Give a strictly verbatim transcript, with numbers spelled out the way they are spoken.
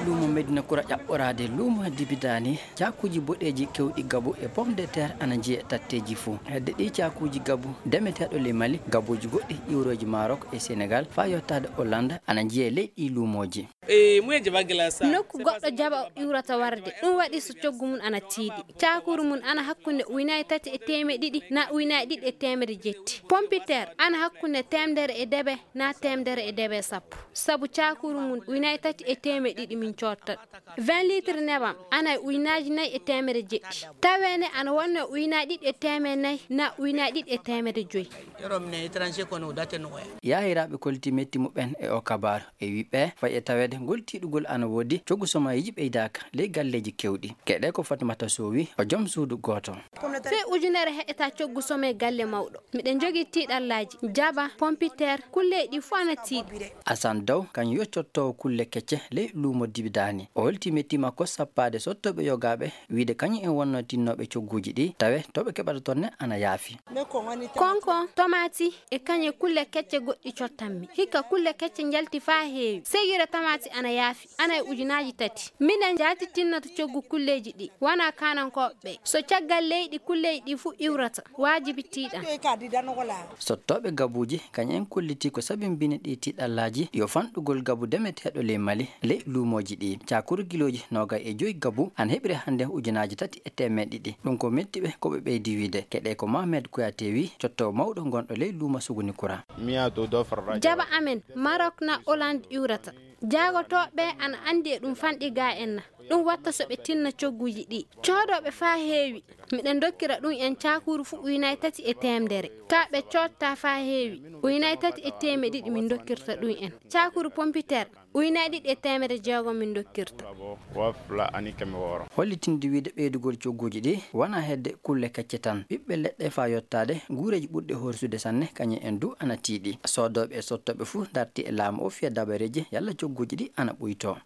Luumo Medina Kura ƴaɓɓoraade luumo Dibidaani, caakuuji boɗeeji keewɗi gabu e pomme de terre ana njiyee tatteeji fuu. Hedde ɗii caakuuji gabu demeteeɗo ley Mali, gabuuji goɗɗi iwrooji Maroc e Senegal faa yottaade Hollande ana njiyee ley ɗii luumooji. Nokku goɗɗo jaɓa iwrata warde, ɗum waɗi so coggu mum ana tiiɗi. Caakuuru mum ana hakkunde ujunaaji tati e teemeɗɗe ɗiɗi naa ujunaaji ɗiɗi e teemeɗɗe jetti. Pompiteer ana hakkunde teemedere e debe naa teemedere e debe sappo. Sabu caakuuru mum ujunaaji tati e teemeɗɗe ɗiɗi min coodta. Vingt litres nebam ana e ujunaaji nayi e teemedde jeɗɗi. Tawee ne ana wonnoo e ujunaaji ɗiɗi e teemedde nayi naa ujunaaji ɗiɗi e teemedde joy. Yaahiraaɓe kollitii metti muɓɓen e oo kabaaru e wii ɓe fay e taweede ngol tiiɗugol ana woodi, coggu somaayiiji ɓeydaaka ley galleeji keewɗi. Keɗee ko Fatimata Sow wii, o jom suudu gooto. Fee ujunere heƴataa coggu somee galle mawɗo. Miɗen njogii tiiɗallaaji, jaba, pompiteer, kulleeji ɗii fuu ana tiiɗi. Asan Daw, kañum yo cottoowo kulle kecce ley luumo Dibidaani. O holtii metti makko sappaade sottooɓe yogaaɓe, wiide kañum en wonnoo tinnooɓe cogguuji ɗii, tawee to ɓe keɓata toon ne ana yaafi. Konko, tomaati, e kañe kulle kecce goɗɗi cottanmi. Hikka kulle kecce njalti faa heewi. Seyire tamaati ana yaafi, ana e ujunaaji tati. Minen njaati tinnata coggu kulleeji ɗii, wanaa kaanankooɓe ɓee. So caggal leyɗi kulleeji ɗii fuu iwrata, waajibi tiiɗan. Sottooɓe gabuuji, kañum en kollitii ko sabimbini ɗii tiiɗallaaji yo fanɗugol gabu demeteeɗo ley Mali, ley luumooji ɗii. Caakuru kilooji noogay e joy gabu ana heɓiri hannde ujunaaji tati e teemeɗɗe ɗiɗi. Ɗum ko metti ɓe, ko ɓe ɓeydi wiide. Keɗee ko Mohamed Kouyaté wii, cottoowo mawɗo gonɗo ley luumo Sugunikura. Jaba amen, Maroc naa Hollande iwrata. Jaagotooɓe ana anndi e ɗum fanɗi gaa en na. Ɗum watta so ɓe tinna cogguuji ɗii. Coodooɓe faa heewi. Miɗen ndokkira ɗum en caakuru fuu ujunaaji tati e teemedere. Kaa ɓe coodtaa faa heewi. Ujunaaji tati e teemeɗɗe ɗiɗi min ndokkirta ɗum en. Caakuru pompiteer, ujunaaji ɗiɗi e teemedde jeegom min ndokkirta. Hollitinde wiide ɓeydugol cogguuji ɗii wanaa hedde kulle kecce tan. Ɓiɓɓe leɗɗe faa yottaade nguureeji ɓurɗi horsude sanne, kañum en duu ana tiiɗi. Soodooɓe e sottooɓe fuu ndartii e laamu oo fiya dabareeji yalla cogguuji ɗii ana ɓuytoo.